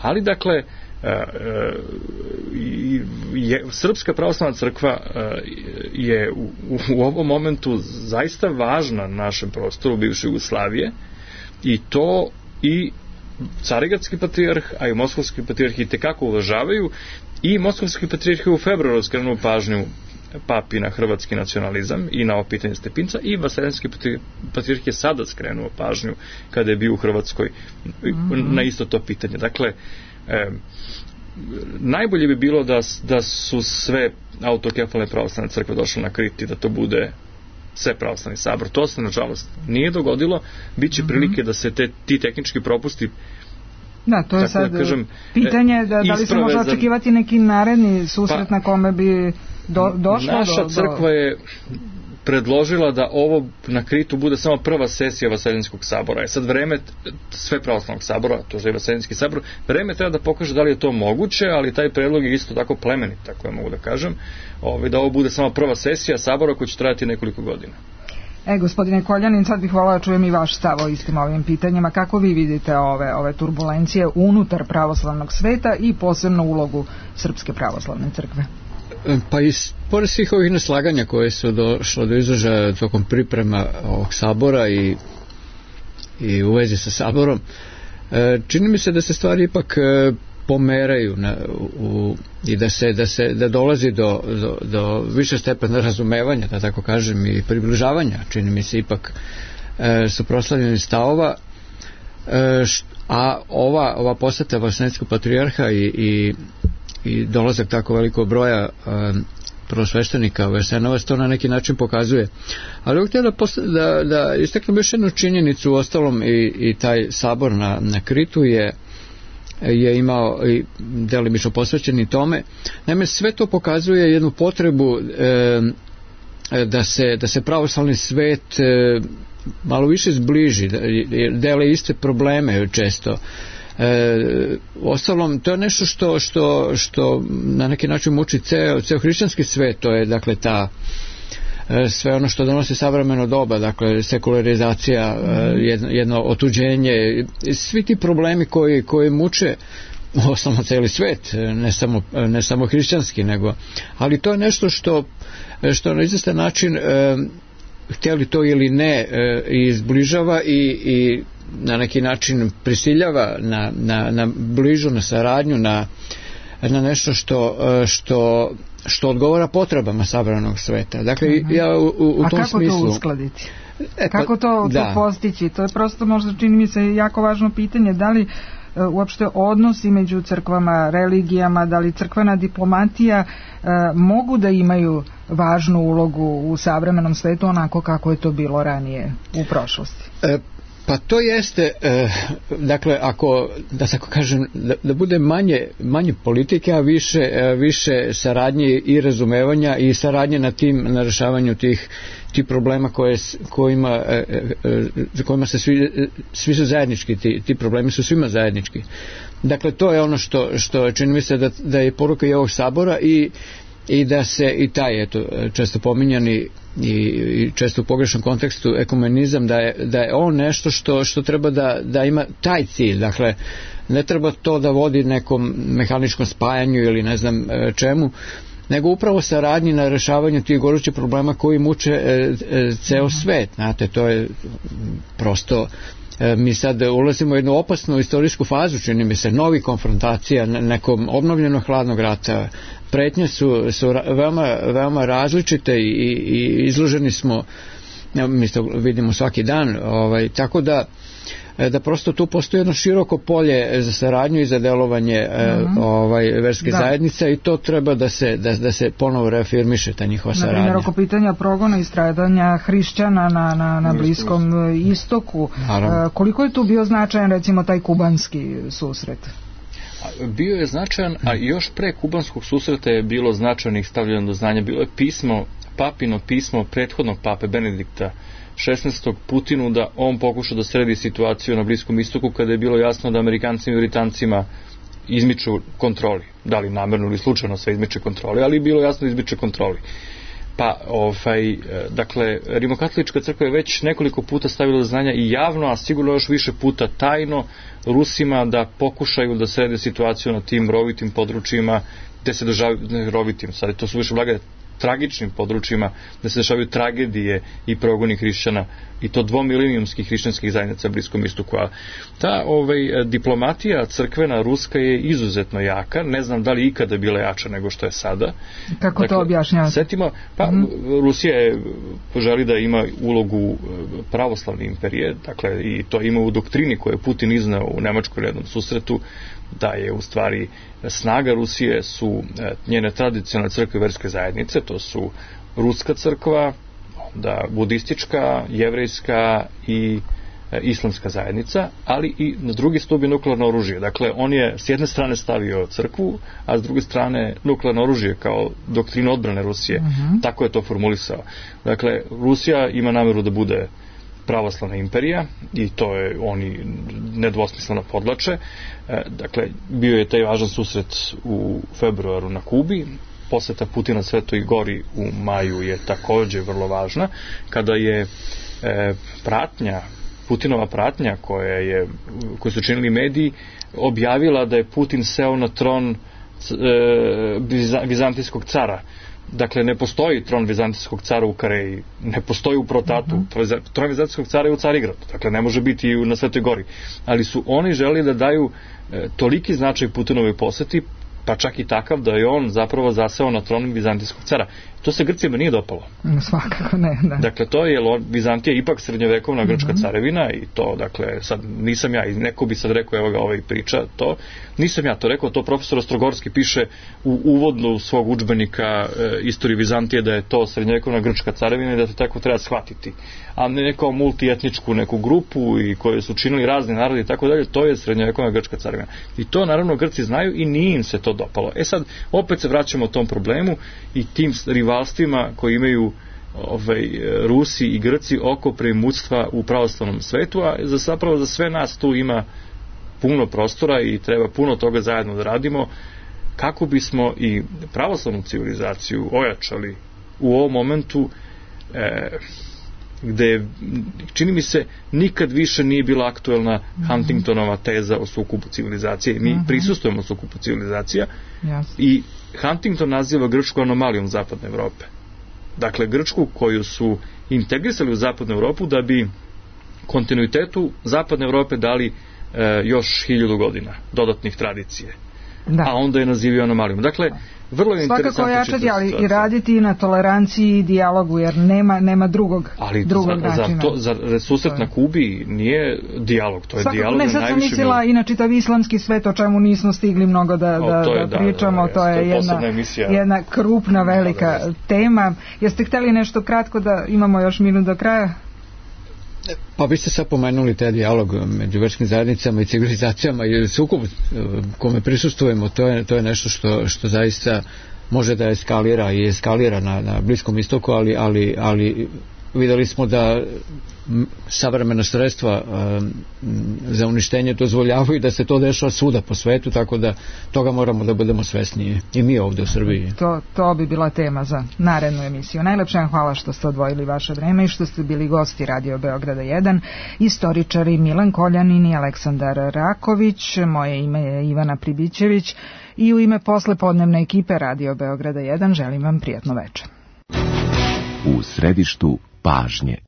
ali dakle je, Srpska pravoslavna crkva je u, u ovom momentu zaista važna na našem prostoru bivše Jugoslavije i to i Carigradski patrijarh, a i Moskovski patrijarh i tekako uvažavaju i Moskovski patrijarh je u februaru skrenuo pažnju papi na hrvatski nacionalizam i na ovo pitanje Stepinca i Vaseljenski patrijarh je sada skrenuo pažnju kada je bio u Hrvatskoj mm-hmm. na isto to pitanje. Dakle, E, najbolje bi bilo da, da su sve autokefalne pravoslavne crkve došle na Krit i da to bude sve pravoslavni sabor. To se nažalost nije dogodilo. Biće mm-hmm. prilike da se te, ti tehnički propusti da, to je sad da kažem, pitanje da, da li se može očekivati neki naredni susret pa, na kome bi do, došlo naša do... crkva je predložila da ovo na Kritu bude samo prva sesija Vaseljenskog sabora. Je sad vreme sve pravoslavnog sabora, to je Vaseljenski sabor, vreme treba da pokaže da li je to moguće, ali taj predlog je isto tako plemenit, tako ja mogu da kažem, ovaj, da ovo bude samo prva sesija sabora koja će trajati nekoliko godina. E, gospodine Koljanin, sad bih volao da čujem i vaš stav o istim ovim pitanjima. Kako vi vidite ove, ove turbulencije unutar pravoslavnog sveta i posebno ulogu Srpske pravoslavne crkve? Pa i pored svih ovih neslaganja koje su došlo do izražaja tokom priprema ovog sabora i, i u vezi sa saborom, čini mi se da se stvari ipak pomeraju na, u, i da se, da se da dolazi do, do, do više stepena razumevanja, da tako kažem, i približavanja, čini mi se ipak e, suprotstavljenih stavova, e, št, a ova, ova poseta Vaseljenskog patrijarha i, i i dolazak tako velikog broja um, prvosveštenika u Jasenovac to na neki način pokazuje. Ali ovdje da, da, da istaknem još jednu činjenicu, u ostalom i, i taj sabor na, na Kritu je je imao i delimično posvećen i tome. Naime, sve to pokazuje jednu potrebu e, da se, da se pravoslavni svet e, malo više zbliži, da, dele iste probleme često. E, ostalom, to je nešto što, što, što na neki način muči ceo, ceo hrišćanski svet, to je dakle ta e, sve ono što donosi savremeno doba, dakle sekularizacija, e, jedno, jedno otuđenje, svi ti problemi koji, koji muče osnovno celi svet, ne samo, ne samo hrišćanski, nego, ali to je nešto što, što na izvestan način e, htjeli to ili ne e, izbližava i, i na neki način prisiljava na, na, na bližu, na saradnju, na, na nešto što, što, što odgovara potrebama savremenog sveta. Dakle, uh-huh. ja u, u A tom kako smislu... to uskladiti? E, pa, kako to, to postići? To je prosto možda čini mi se jako važno pitanje. Da li e, uopšte odnosi među crkvama, religijama, da li crkvena diplomatija e, mogu da imaju važnu ulogu u savremenom svetu onako kako je to bilo ranije u prošlosti? E, Pa to jeste, eh, dakle, ako, da tako kažem, da, da bude manje, manje politike, a više, eh, više saradnje i razumevanja i saradnje na tim, na rešavanju tih, tih problema koje, kojima, eh, eh, za kojima se svi, svi su zajednički, ti, ti problemi su svima zajednički. Dakle, to je ono što, što čini mi se da, da je poruka i ovog sabora i i da se i taj, eto, često pominjani i, i često u pogrešnom kontekstu ekumenizam, da je, da je on nešto što, što treba da, da ima taj cilj, dakle ne treba to da vodi nekom mehaničkom spajanju ili ne znam čemu, nego upravo saradnji na rešavanju tih gorućih problema koji muče e, e, ceo svet, znate, to je prosto mi sad ulazimo u jednu opasnu istorijsku fazu, čini mi se, novi konfrontacija, nekom obnovljenog hladnog rata. Pretnje su, su veoma, veoma različite i, i izloženi smo, mi to vidimo svaki dan, ovaj, tako da da prosto tu postoji jedno široko polje za saradnju i za delovanje mm-hmm. ovaj, verske da. zajednice i to treba da se, da, da se ponovo reafirmiše ta njihova saradnja. Na primjer, oko pitanja progona i stradanja hrišćana na, na, na Bliskom istoku, Naravno. koliko je tu bio značajan recimo taj kubanski susret? Bio je značajan, a još pre kubanskog susreta je bilo značajnih stavljeno do znanja. Bilo je pismo, papino pismo prethodnog pape Benedikta šesnaestog Putinu da on pokuša da sredi situaciju na Bliskom istoku kada je bilo jasno da Amerikancima i Britancima izmiču kontroli. Da li namerno ili slučajno sve izmiče kontroli, ali je bilo jasno da izmiče kontroli. Pa, ovaj, dakle, Rimokatolička crkva je već nekoliko puta stavila do znanja i javno, a sigurno još više puta tajno Rusima da pokušaju da srede situaciju na tim rovitim područjima gde se državaju rovitim. Sad to su više blagane tragičnim područjima, da se dešavaju tragedije i progoni hrišćana i to dvomilenijumskih hrišćanskih zajednica na Bliskom istoku. A ta ovaj, diplomatija crkvena ruska je izuzetno jaka, ne znam da li ikada bila jača nego što je sada. Kako dakle, to objašnjavate? Setimo, pa mm-hmm. Rusija je želi da ima ulogu pravoslavne imperije, dakle i to ima u doktrini koju je Putin izneo u Nemačkoj jednom susretu, da je u stvari snaga Rusije su njene tradicionalne crkve i verske zajednice, to su ruska crkva, onda budistička, jevrejska i islamska zajednica, ali i na drugi stup je nuklearno oružje. Dakle, on je s jedne strane stavio crkvu, a s druge strane nuklearno oružje kao doktrinu odbrane Rusije. Uh-huh. Tako je to formulisao. Dakle, Rusija ima nameru da bude pravoslavna imperija i to je oni nedvosmisleno podlače. E, dakle, bio je taj važan susret u februaru na Kubi, poseta Putina Svetoj Gori u maju je takođe vrlo važna, kada je e, pratnja, Putinova pratnja koja je, koju su činili mediji, objavila da je Putin seo na tron e, vizantijskog cara. Dakle, ne postoji tron vizantijskog cara u Kareji, ne postoji u Protatu, uh-huh. tron vizantijskog cara je u Carigradu, dakle ne može biti i na Svetoj Gori. Ali su oni želeli da daju e, toliki značaj Putinovoj poseti, pa čak i takav da je on zapravo zaseo na tron vizantijskog cara. To se Grcima nije dopalo. Svakako ne, da. Dakle, to je, Vizantija ipak srednjovekovna grčka uh-huh. carevina i to, dakle, sad nisam ja, i neko bi sad rekao, evo ga ovaj priča, to, nisam ja to rekao, to profesor Ostrogorski piše u uvodnu svog udžbenika e, istorije Vizantije da je to srednjovekovna grčka carevina i da to tako treba shvatiti. A ne kao multietničku neku grupu i koje su činili razni narodi i tako dalje, to je srednjovekovna grčka carevina. I to naravno Grci znaju i nije im se to dopalo. E sad, opet se vraćamo tom problemu i tim rivalstvima koji imaju ovaj, Rusi i Grci oko premudstva u pravoslavnom svetu, a za, zapravo za sve nas tu ima puno prostora i treba puno toga zajedno da radimo kako bismo i pravoslavnu civilizaciju ojačali u ovom momentu e, gde, čini mi se, nikad više nije bila aktuelna Huntingtonova teza o sukobu civilizacije. Mi uh-huh. prisustujemo sukobu civilizacija yes. i Huntington naziva Grčku anomalijom zapadne Evrope. Dakle, Grčku koju su integrisali u zapadnu Evropu da bi kontinuitetu zapadne Evrope dali e, još hiljadu godina dodatnih tradicije. Da. A onda je nazivio anomalijom. Dakle, vrlo je interesantno. Svakako jačati, ali i raditi i na toleranciji i dijalogu, jer nema, nema drugog, ali drugog za, načina. Ali za susret na Kubi nije dijalog, to je svakako, dijalog na najvišem. Ne, sad sam mislila i na čitav islamski svet, o čemu nismo stigli mnogo da, o, da, to je, da pričamo, da, da, to je, je jedna, jedna krupna, velika da, da, da. tema. Jeste hteli nešto kratko da imamo još minut do kraja? Pa vi ste sad pomenuli taj dijalog među verskim zajednicama i civilizacijama i sukob kome prisustujemo, to je, to je nešto što, što zaista može da eskalira i eskalira na, na Bliskom istoku, ali, ali, ali videli smo da savremena sredstva um, za uništenje dozvoljavaju da se to dešava svuda po svetu, tako da toga moramo da budemo svesniji i mi ovde u Srbiji. To, to bi bila tema za narednu emisiju. Najlepše vam hvala što ste odvojili vaše vreme i što ste bili gosti Radio Beograda jedan, istoričari Milan Koljanin i Aleksandar Raković. Moje ime je Ivana Pribićević i u ime poslepodnevne ekipe Radio Beograda jedan želim vam prijatno večer. U središtu pažnje.